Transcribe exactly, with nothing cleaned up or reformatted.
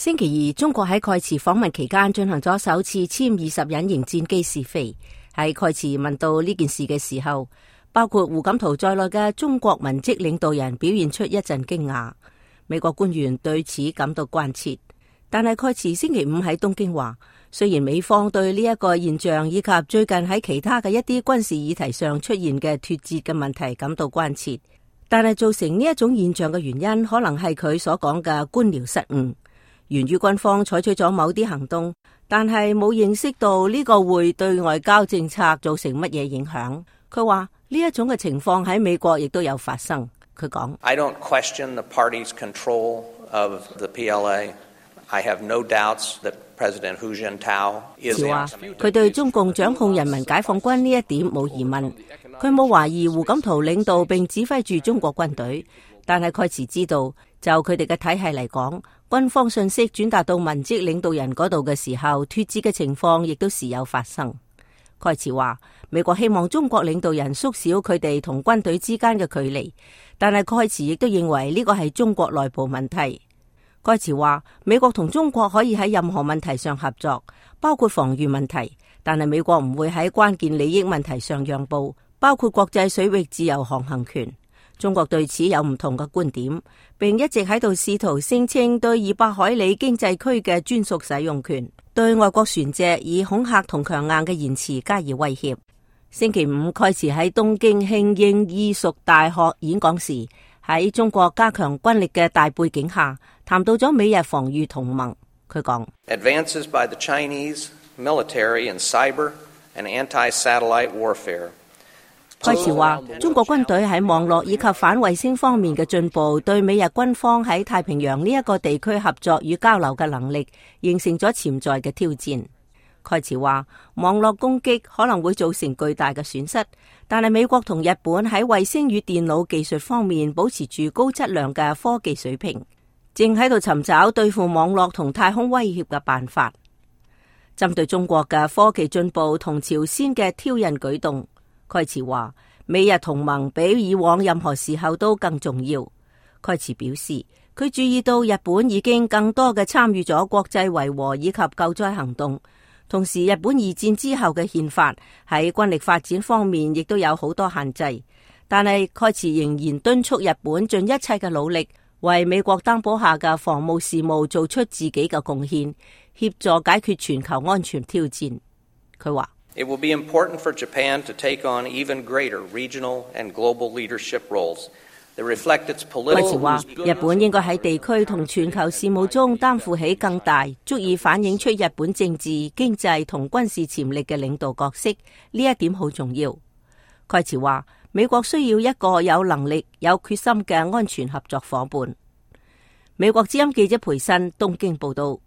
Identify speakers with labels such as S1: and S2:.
S1: 星期二，中國喺蓋茨訪問期間進行咗首次殲二十隱形戰機試飛。喺蓋茨問到呢件事嘅時候，包括胡錦濤在內嘅中國文職領導人表現出一陣驚訝。美國官員對此感到關切，但係蓋茨星期五喺東京話，雖然美方對呢一個現象以及最近喺其他嘅一啲軍事議題上出現嘅脫節嘅問題感到關切，但係造成呢一種現象嘅原因，可能係佢所講嘅官僚失誤。源於軍方採取咗某啲行動，但係冇認識到呢個會對外交政策造成乜嘢影響。佢話呢一種嘅情況喺美國亦都有發生。佢講
S2: I don't question the party's control of the P L A. I have no doubts that President Hu Jintao is the answer.
S1: 佢對中共掌控人民解放軍呢一點冇疑問，佢冇懷疑胡錦濤領導並指揮住中國軍隊，但係蓋茨知道，就佢哋嘅體系嚟講，軍方信息轉達到文職領導人嗰度嘅時候，脫節嘅情況亦都時有發生。蓋茨話，美國希望中國領導人縮小佢哋同軍隊之間嘅距離，但係蓋茨亦都認為呢個係中國內部問題。蓋茨話，美國同中國可以喺任何問題上合作，包括防禦問題，但係美國唔會喺關鍵利益問題上讓步，包括國際水域自由航行權。中國對此有唔同嘅觀點，並一直喺度試圖聲稱對二百海里經濟區嘅專屬使用權，對外國船隻以恐嚇同強硬嘅言辭加以威脅。星期五，蓋茨喺東京慶應義塾大學演講時，喺中國加強軍力嘅大背景下，談到咗美日防禦同盟。佢講
S2: Advances by the Chinese military in cyber and anti-satellite warfare。
S1: 蓋茨話，中國軍隊喺網絡以及反衛星方面嘅進步，對美日軍方喺太平洋呢一個地區合作與交流嘅能力，形成咗潛在嘅挑戰。蓋茨話，網絡攻擊可能會造成巨大嘅損失，但係美國同日本喺衛星與電腦技術方面保持住高質量嘅科技水平，正喺度尋找對付網絡同太空威脅嘅辦法。針對中國嘅科技進步同朝鮮嘅挑釁舉動，蓋茨話，美日同盟比以往任何時候都更重要。蓋茨表示，佢注意到日本已經更多嘅參與咗國際維和以及救災行動，同時日本二戰之後嘅憲法喺軍力發展方面亦都有好多限制，但係蓋茨仍然敦促日本盡一切嘅努力，為美國擔保下嘅防務事務做出自己嘅貢獻，協助解決全球安全挑戰。佢話
S2: It will be important for Japan to take on even greater regional and global leadership roles that reflect its political.
S1: 蓋茨話，日本應該喺地區同全球事務中擔負起更大、足以反映出日本政治、經濟同軍事潛力嘅領導角色，呢一點好重要。蓋茨話，美國需要一個有能力、有決心嘅安全合作夥伴。美國之音記者培新東京報道。